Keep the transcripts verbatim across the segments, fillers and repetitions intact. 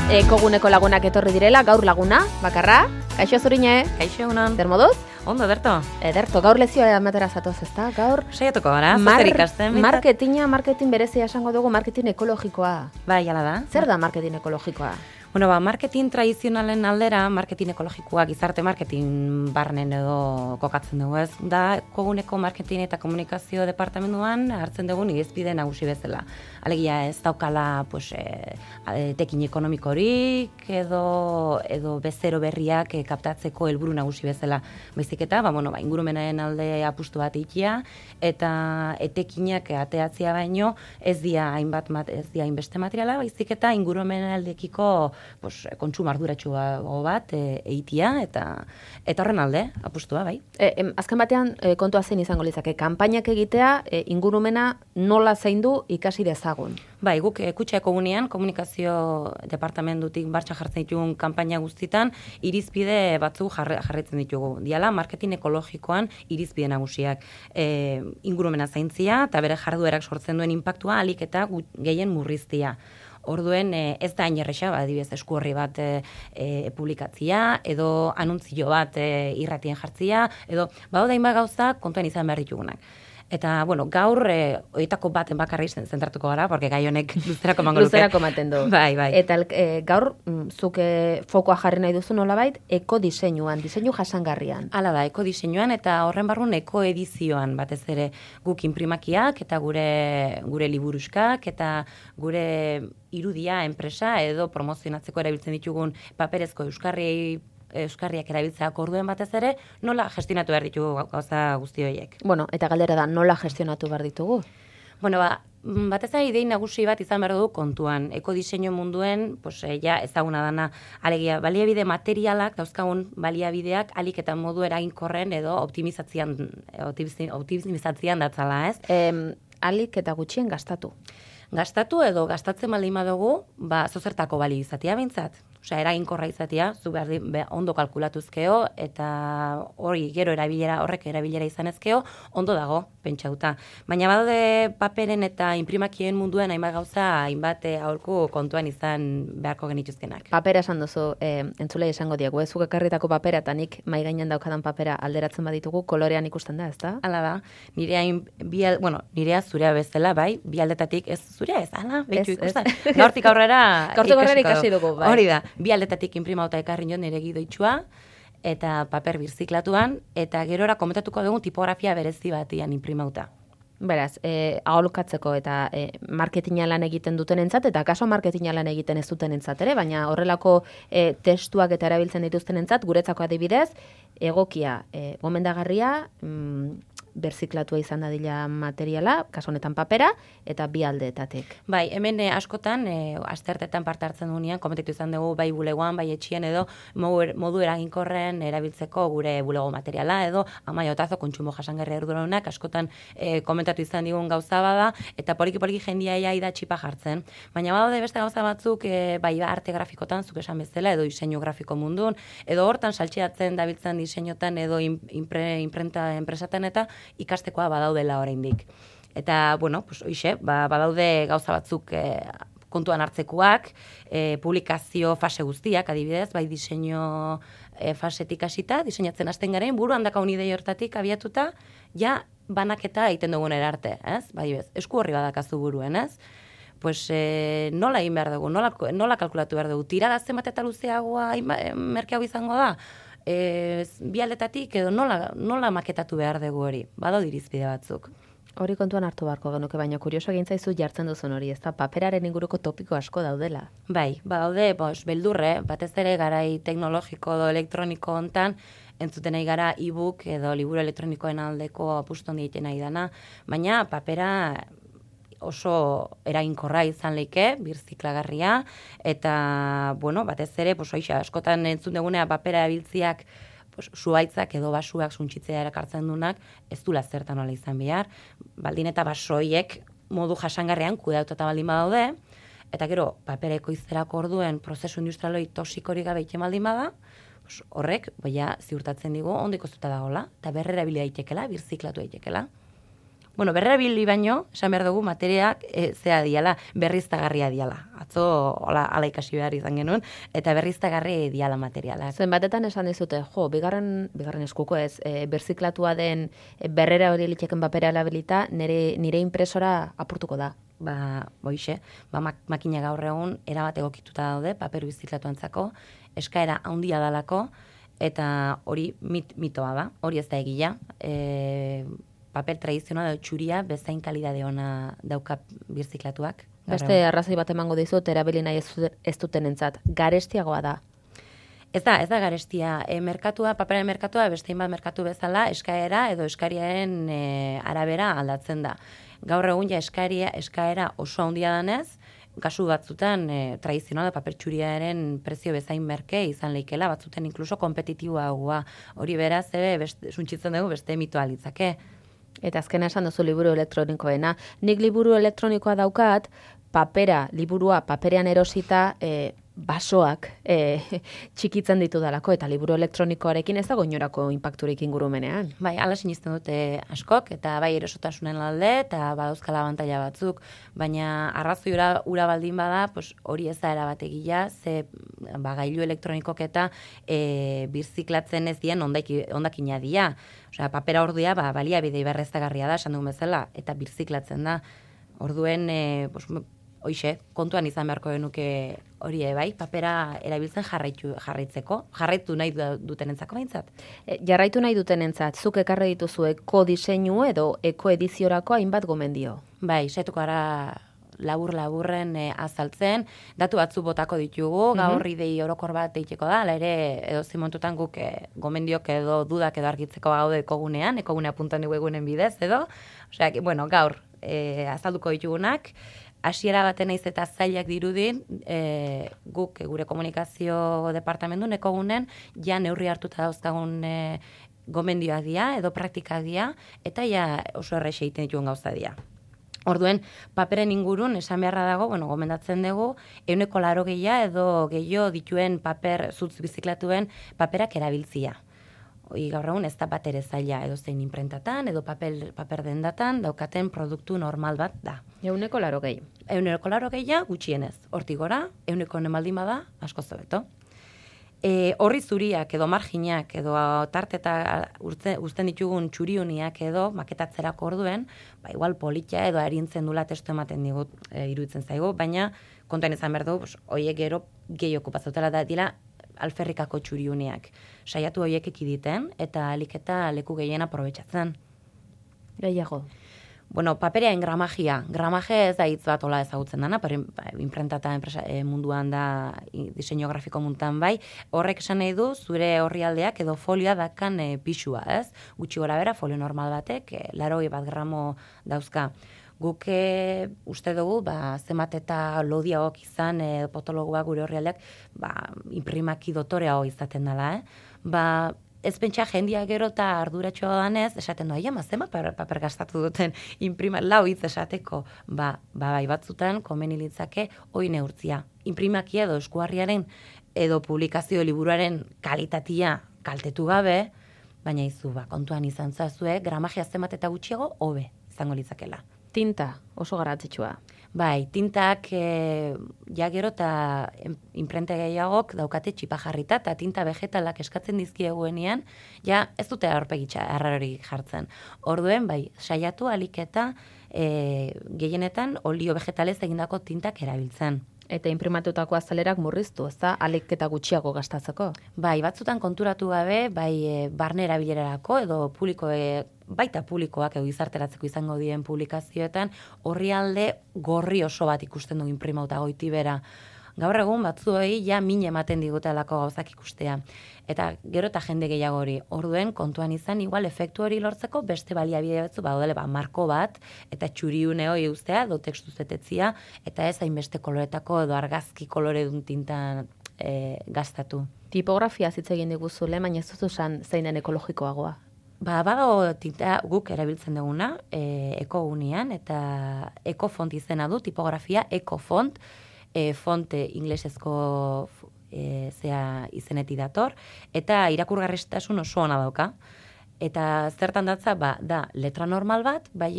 Ekoguneko lagunak etorri direla, gaur laguna, bakarra. Kaixo Zurine? Kaixo egunon. Zer moduz? Ondo, Ederto. Ederto, gaur lezioa ematera zatoz, ezta? Gaur saiatuko gara, mar zer ikasten. marketinga, marketing berezia esango dugu, marketing ekologikoa. Bai, hala da. Zer da marketing ekologikoa? Bueno, ba, marketing tradizionalen aldera, marketing ekologikoa, gizarte marketing barnen edo kokatzen dugu, ez? Da, koguneko marketing eta komunikazio departamentuan hartzen dugun irizpide nagusi bezala. Alegia ez daukala, pues, e, tekin ekonomikorik edo, edo bezero berriak e, kaptatzeko helburu nagusi bezala. Baizik eta, ba, bueno, ba, ingurumenaren alde apustu bat ikia, eta etekinak ateatzia baino ez dia hainbat mat, ez dia hainbeste materiala, baizik eta ingurumenaren aldekiko pues, kontsumo arduratsu bat e, eitia, eta eta horren alde apustua, bai. E, em, azken batean, e, kontua zein izango litzake, kanpainak egitea, e, ingurumena nola zaindu ikasi dezagun. Bai, guk e, Kutxa Ekogunean, komunikazio departamentutik martxan jartzen ditugun kanpaina guztietan, irizpide batzu jarri, jarritzen ditugu. Diala, marketing ekologikoan irizpide nagusiak. E, ingurumena zaintzia, eta bere jarduerak sortzen duen inpaktua alik eta gehien murriztia. Orduen ez da hain erresa, adibidez esku horri bat e, e, publikatzia, edo anuntzio bat e, irratien jartzia, edo badaude hainbat gauza kontuan izan behar ditugunak. Eta, bueno, gaur, e, oitako baten bakarri zentratuko gara, porque gai honek luzerako mango luke. Luzerako maten du. Bai, bai. Eta e, gaur, zuk e, fokoa jarri nahi duzu nolabait, ekodiseinuan, diseinu jasangarrian. Hala da, ekodiseinuan eta horren barrun ekoedizioan batez ere guk inprimakiak eta gure gure liburuskak eta gure irudia enpresa edo promozionatzeko erabiltzen ditugun paperezko euskarri euskarriak erabiltzeak orduen batez ere, nola gestionatu behar ditugu gauza guzti horiek. Bueno, eta galdera da, nola gestionatu behar ditugu? Bueno, ba, batez ere idei nagusi bat izan behar dugu kontuan. Ekodiseinu munduen, pues, ja ezaguna dana, alegia, baliabide materialak, dauzkagun baliabideak, alik eta modu eraginkorren edo optimizatzean, optimizatzean datzala, ez? Em, alik eta gutxien gastatu. Gastatu edo gastatzen baldin badugu, ba, zozertako bali izatea behintzat. Osea, eraginkorra izatea, zu behar be, ondo kalkulatuzkeo, eta hori gero erabilera, horrek erabilera izanezkeo, ondo dago, pentsauta. Baina badaude paperen eta inprimakien munduen hainbat gauza, hainbat aholku kontuan izan beharko genituzkenak. Papera esan duzu, e, entzulei esango diegu, ez zuk ekarritako papera, eta nik mai gainean daukadan papera alderatzen baditugu, kolorean ikusten da, ez da? Hala da, nirea, bi, bueno, nirea zurea bezala, bai, bi aldetatik, ez zurea ez, ala, behitu ikusten. Gaurtik aurrera, Gaurtik aurrera ikasi dugu, bai. Hori da. Bi aldetatik inprimauta ekarri nion nire gidoitxua, eta paper birziklatuan, eta gerora komentatuko dugu tipografia berezi batian inprimauta. Beraz, e, aholkatzeko eta e, marketinga lan egiten dutenentzat eta kaso marketinga lan egiten ez dutenentzat ere, baina horrelako e, testuak eta erabiltzen dituztenentzat, guretzako adibidez, egokia, e, gomendagarria, mm, berziklatua izan dadila materiala, kaso honetan papera, eta bi aldeetatik. Bai, hemen eh, askotan, eh, astertetan parte hartzen dugunean, komentatu izan dugu bai bulegoan, bai etxien edo modu, modu eraginkorren erabiltzeko gure bulego materiala edo amaiotazo kontsumo jasangarria arduradunak askotan eh, komentatu izan digun gauza bada, eta poliki-poliki jendia da txipa jartzen. Baina badaude beste gauza batzuk, eh, bai arte grafikotan, zuk esan bezala, edo diseinu grafiko mundun, edo hortan saltxeatzen dabiltzen diseinutan edo impre, imprenta enpresatan eta ikastekoa badaudela oraindik. Eta, bueno, pues, oixe, ba, badaude gauza batzuk e, kontuan hartzekoak, e, publikazio fase guztiak, adibidez, bai diseinu e, fasetik hasita, diseinatzen hasten garen, buruan dakaun idei hortatik abiatuta, ja banaketa egiten dugun erarte, ez? Bai, bez, esku horri badakazu buruen, ez? Pues e, nola egin behar dugu, nola, nola kalkulatu behar dugu, tirada zenbat eta luzeagoa merkeago izango da? E, bi aldetatik edo nola, nola maketatu behar dugu hori, badau irizpide batzuk. Hori kontuan hartu beharko genuke, baina kurioso egin zaizu jartzen duzun hori, ez da paperaren inguruko topiko asko daudela. Bai, badaude, bos, beldurre, batez ere garai teknologiko edo elektroniko hontan, entzuten nahi gara e-book edo liburu elektronikoen aldeko apuston egiten nahi dana, baina papera oso eraginkorra izan leike, birziklagarria, eta, bueno, batez ere, pues, oixa, askotan entzun dugunea papera erabiltziak, pues, zuaitzak edo basuak suntxitzea erakartzen dunak, ez du zertan nola izan behar, baldin eta basoiek modu jasangarrean kudeatuta baldin badaude, eta gero, papera ekoizterako orduen prozesu industrialoi toxikorik gabe iten baldin bada, pues, horrek, boia, ziurtatzen digu, ondo ikoiztuta dagoela, eta berrera bili daitekela, birziklatu daitekela. bueno, berrerabili baino, esan behar dugu, materiak e, zea diala, berriztagarria diala. Atzo, hola, ala ikasi behar izan genuen, eta berriztagarri diala materialak. Zenbatetan esan dizute, jo, bigarren, bigarren eskuko ez, e, berziklatua den e, berrera hori litxeken papera alabilita, nire, nire impresora apurtuko da. Ba, boixe, ba, mak makina gaur egun erabat egokituta daude, paper biziklatuantzako, eskaera handia dalako, eta hori mit, mitoa da, hori ez da egia. E, paper tradizional edo txuria bezain kalidade ona dauka birziklatuak. Beste arrazoi bat emango dizut, erabili nahi ez, ez dutenentzat, garestiagoa da. Ez da, ez da garestia. E, merkatua, paperen merkatua, beste bat merkatu bezala, eskaera edo eskariaren e, arabera aldatzen da. Gaur egun ja eskaria, eskaera oso handia danez, kasu batzutan e, tradizionala paper txuriaren prezio bezain merke izan leikela, batzuten inkluso kompetitiboagoa. Hori beraz, ebe, suntzitzen dugu beste mitoa litzake. Eta azkena esan duzu liburu elektronikoena. Nik liburu elektronikoa daukat, papera, liburua paperean erosita, e, basoak e, txikitzen ditu dalako, eta liburu elektronikoarekin ez dago inorako inpakturik ingurumenean. Bai, ala sinisten dute askok, eta bai erosotasunen alde, eta badauzkala abantaila batzuk, baina arrazoi ura, ura baldin bada, pues, hori ez da erabategia, ze ba, gailu elektronikok eta e, birziklatzen ez dien ondaki, ondakina dia. Osea, papera ordia ba, baliabide berreztagarria da, esan dugun bezala, eta birziklatzen da. Orduen, e, pues, hoixe, kontuan izan beharko genuke hori bai, papera erabiltzen jarraitu, jarraitzeko, jarraitu nahi dutenentzako behintzat. E, jarraitu nahi dutenentzat, zuk ekarri dituzu eko diseinu edo eko ediziorako hainbat gomendio. Bai, saituko gara labur-laburren e, azaltzen, datu batzu botako ditugu, gaur mm -hmm. idei orokor bat deiteko da, ala ere edo zimontutan guk e, gomendiok edo dudak edo argitzeko gaude ekogunean, ekogunea puntan egunen bidez edo, osea, bueno, gaur e, azalduko ditugunak, hasiera baten naiz eta zailak dirudin, e, guk e, gure komunikazio departamentu ekogunen ja neurri hartuta dauzkagun e, gomendioak dira edo praktikak dira, eta ja oso errexe egiten dituen gauza dira. Orduen, paperen ingurun, esan beharra dago, bueno, gomendatzen dugu, ehuneko laro gehia edo gehiago dituen paper, zutz biziklatuen paperak erabiltzia. Hoi gaur egun ez da bat ere zaila edo zein imprentatan edo papel, paper dendatan daukaten produktu normal bat da. Ehuneko laro gehi. Ehuneko laro gehia gutxienez. Hortik gora, ehuneko nemaldin bada, asko zobeto. E, horri zuriak edo marginak edo tarteta uzten ditugun txuriuniak edo maketatzerako orduen, ba, igual politia edo arintzen dula testu ematen digut e, iruditzen zaigu, baina kontuan izan behar dugu, hoiek gero gehi okupatzotela da dira alferrikako txuriuniak. Saiatu horiek ekiditen eta aliketa leku gehien aprobetxatzen. Gehiago. Bueno, paperean gramagia. Gramaje ez da hitz bat ola ezagutzen dana, pero imprentata enpresa e, munduan da diseinu grafiko munduan bai. Horrek esan nahi du zure orrialdeak edo folioa dakan e, pixua, ez? Gutxi gora bera, folio normal batek, e, laroi bat gramo dauzka. Guk e, uste dugu, ba, zemat eta lodiagoak izan, e, potologoak gure horrialdeak, ba, imprimaki dotorea izaten dela, eh? Ba, ez pentsa jendia gero eta arduratxoa danez, esaten doa, ama, zema paper, paper gastatu duten imprima, lau hitz esateko, ba, ba, bai batzutan, komeni litzake, hoi neurtzia. Imprimaki edo eskuarriaren edo publikazio liburuaren kalitatia kaltetu gabe, baina izu, ba, kontuan izan zazue, gramagia zemat eta gutxiago, hobe izango litzakela. Tinta, oso garrantzitsua. Bai, tintak e, ja gero eta imprente gehiagok daukate txipa jarrita eta tinta vegetalak eskatzen dizkieguenean, ja ez dute aurpegitza arrarorik jartzen. Orduen, bai, saiatu aliketa e, gehienetan olio vegetalez egindako tintak erabiltzen. Eta imprimatutako azalerak murriztu, ez da, aliketa gutxiago gastatzeko? Bai, batzutan konturatu gabe, bai e, barne erabilerarako edo publiko e, baita publikoak edo gizarteratzeko izango dien publikazioetan, orrialde gorri oso bat ikusten du imprimauta goiti bera. Gaur egun batzuei ja min ematen digutelako gauzak ikustea. Eta gero eta jende gehiago hori. Orduen kontuan izan igual efektu hori lortzeko beste baliabide batzu badole ba marko bat eta txuriune hori uztea edo tekstu zetetzia eta ez hainbeste koloretako edo argazki koloredun tinta e, gastatu. Tipografia hitz egin diguzule, baina ez duzu esan zein den ekologikoagoa. Ba, badago tinta guk erabiltzen duguna, e, ekogunian, eta ekofont izena du, tipografia ekofont, e, fonte inglesezko e, zea izeneti dator, eta irakurgarritasun oso ona dauka. Eta zertan datza, ba, da letra normal bat, bai,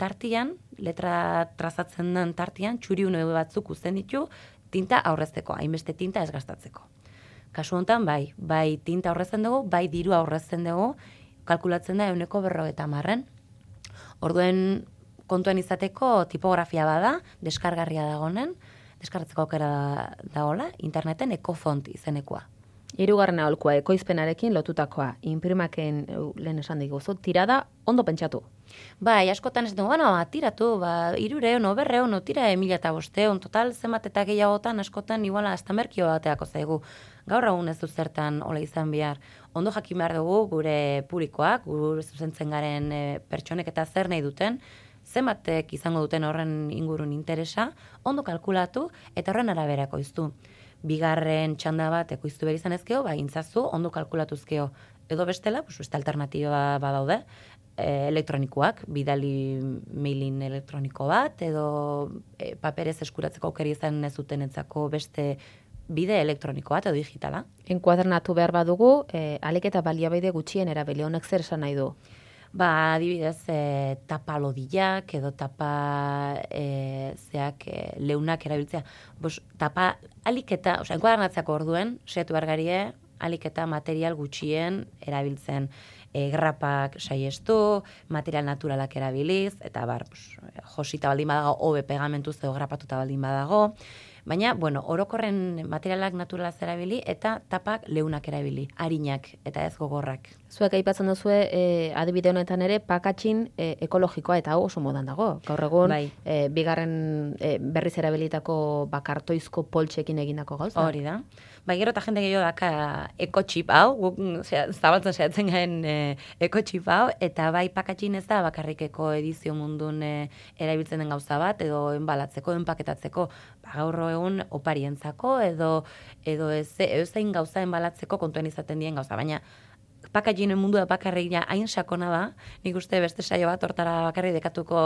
tartian, letra trazatzen den tartian, txuriune batzuk uzten ditu, tinta aurrezteko, hainbeste tinta ez gastatzeko. Kasu honetan, bai, bai tinta aurrezten dugu, bai diru aurrezten dugu, kalkulatzen da euneko berrogeita marren. Orduen kontuan izateko tipografia bada, deskargarria dagonen, deskargatzeko aukera dagoela, interneten ekofont izenekoa. Hirugarren aholkua ekoizpenarekin lotutakoa, inprimaken lehen esan diguzu, tirada ondo pentsatu. Bai, askotan ez dugu, bueno, tiratu, ba, irureun, oberreun, tira emila eta bosteun, total zenbat eta gehiagotan askotan iguala hasta merkio bateako zaigu. Gaur egun ez du zertan hola izan behar. Ondo jakin behar dugu gure publikoak, gure zuzentzen garen e, pertsonek eta zer nahi duten, zenbatek izango duten horren ingurun interesa, ondo kalkulatu eta horren arabera ekoiztu. Bigarren txanda bat ekoiztu behar izan ezkeo, ba, intzazu, ondo kalkulatuzkeo. Edo bestela, pues, beste alternatiba badaude, e, elektronikoak, bidali mailin elektroniko bat, edo e, paperez eskuratzeko aukera izan ez dutenetzako beste bide elektroniko bat edo digitala. Enkuadernatu behar badugu, e, alik eta baliabide gutxien erabili, honek zer esan nahi du? Ba, adibidez, e, tapa lodillak edo tapa e, zeak e, leunak erabiltzea. Bos, tapa aliketa, osea, enkuadernatzeako orduen, setu bergarie, aliketa material gutxien erabiltzen. E, grapak saiestu, material naturalak erabiliz, eta bar, bos, josita baldin badago, hobe pegamentuz edo grapatuta baldin badago. Baina, bueno, orokorren materialak naturalaz erabili eta tapak leunak erabili, harinak eta ez gogorrak. Zuek aipatzen duzue, e, adibide honetan ere, pakatxin e, ekologikoa eta hau oso modan dago. Gaur egun, bai. e, bigarren e, berriz erabilitako bakartoizko poltsekin egindako gauza. Hori da. Bai, gero eta jende gehiago daka ekotxip hau, guk zabaltzen saiatzen gaen e, ekotxip hau, eta bai pakatxin ez da bakarrikeko edizio mundun e, erabiltzen den gauza bat, edo enbalatzeko, enpaketatzeko, ba, gaur egun oparientzako, edo, edo ez, edo zein gauza enbalatzeko kontuen izaten dien gauza, baina pakatxinen mundua bakarrik hain sakona da, nik uste beste saio bat hortara bakarrik dekatuko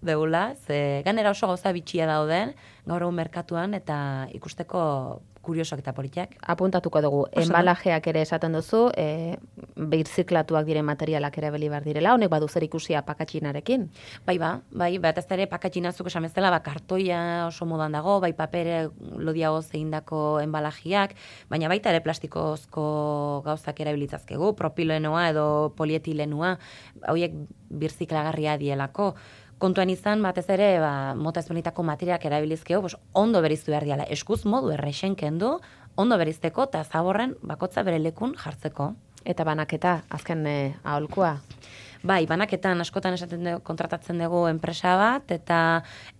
deula, ze ganera oso gauza bitxia dauden, gaur egun merkatuan, eta ikusteko kuriosoak eta politak. Apuntatuko dugu, enbalajeak ere esaten duzu, e, birziklatuak diren materialak ere beli behar direla, honek badu zer ikusia pakatxinarekin? Bai ba, bai, bat ez ere pakatxinazuk esan bezala, ba, kartoia oso modan dago, bai papere lodiago zeindako enbalajiak, baina baita ere plastikozko gauzak erabilitzazkegu, propilenoa edo polietilenua, hauek birziklagarria dielako. Kontuan izan, batez ere, ba, mota ezberdinetako materiak erabilizkeo, bos, ondo beriztu behar diala, eskuz modu errexen kendu, ondo berizteko eta zaborren bakotza bere lekun jartzeko. Eta banaketa, azken e, aholkua? Bai, banaketan askotan esaten dugu, kontratatzen dugu enpresa bat, eta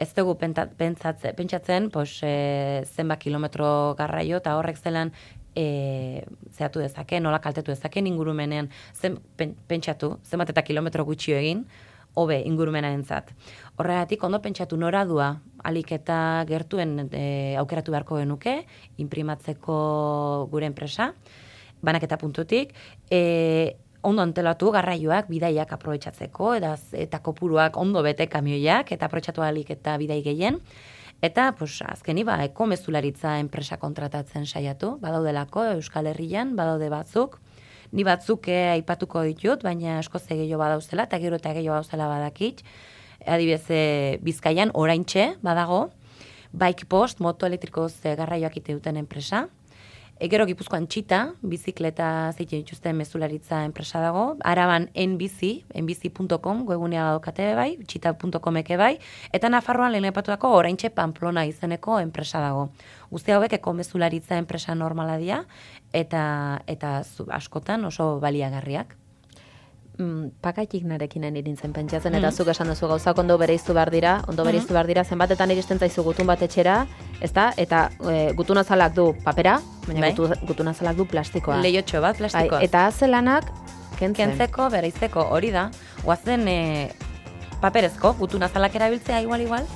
ez dugu pentsatze, pentsatzen pos, e, zenba kilometro garraio, eta horrek zelan e, zehatu dezake, nola kaltetu dezake ingurumenean, zen, pen, pentsatu, zenbat eta kilometro gutxio egin, hobe ingurumenarentzat. Horregatik ondo pentsatu noradua alik eta gertuen e, aukeratu beharko genuke, inprimatzeko gure enpresa, banaketa puntutik, e, ondo antelatu garraioak, bidaiak aprobetxatzeko, eta, eta kopuruak ondo bete kamioiak, eta aprobetxatu alik eta bidai gehien, eta pues, azkeni ba, eko mezularitza enpresa kontratatzen saiatu, badaudelako Euskal Herrian, badaude batzuk, ni batzuk eh, aipatuko ditut, baina asko ze gehiago badauzela, eta gero eta gehiago badauzela badakit. Adibidez, e, Bizkaian oraintxe badago, Bike Post, moto elektrikoz e, garraioak ite duten enpresa. E, gero Gipuzkoan Txita, bizikleta zeiten dituzten mezularitza enpresa dago. Araban enbizi, enbizi puntu com, webgunea daukate bai, txita puntu com eke bai. Eta Nafarroan lehen aipatuako oraintxe Pamplona izeneko enpresa dago. Guzti hauek eko mezularitza enpresa normala dira, eta, eta zu, askotan oso baliagarriak. Mm, pakaitiknarekin irintzen pentsatzen, eta mm. zuk esan duzu gauzak ondo bereiztu behar dira, ondo bereiztu behar dira, zenbatetan iristen zaizu gutun bat etxera, ezta? Eta e, gutun azalak du papera, baina bai? gutu, gutun azalak du plastikoa. Lehiotxo bat plastikoa. Bai, eta azelanak kentzen. Kentzeko, bereizteko, hori da. Guazen e, paperezko, gutun azalak erabiltzea igual-igual.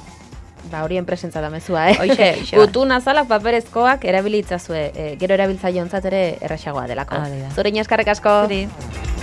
Ba, hori enpresentza da mezua, eh? Oixe, oixe. Gutun azalak paperezkoak erabilitzazue, e, gero erabiltzaile ontzat ere erraxagoa delako. Ah, Zurin eskarrek asko. Zuri.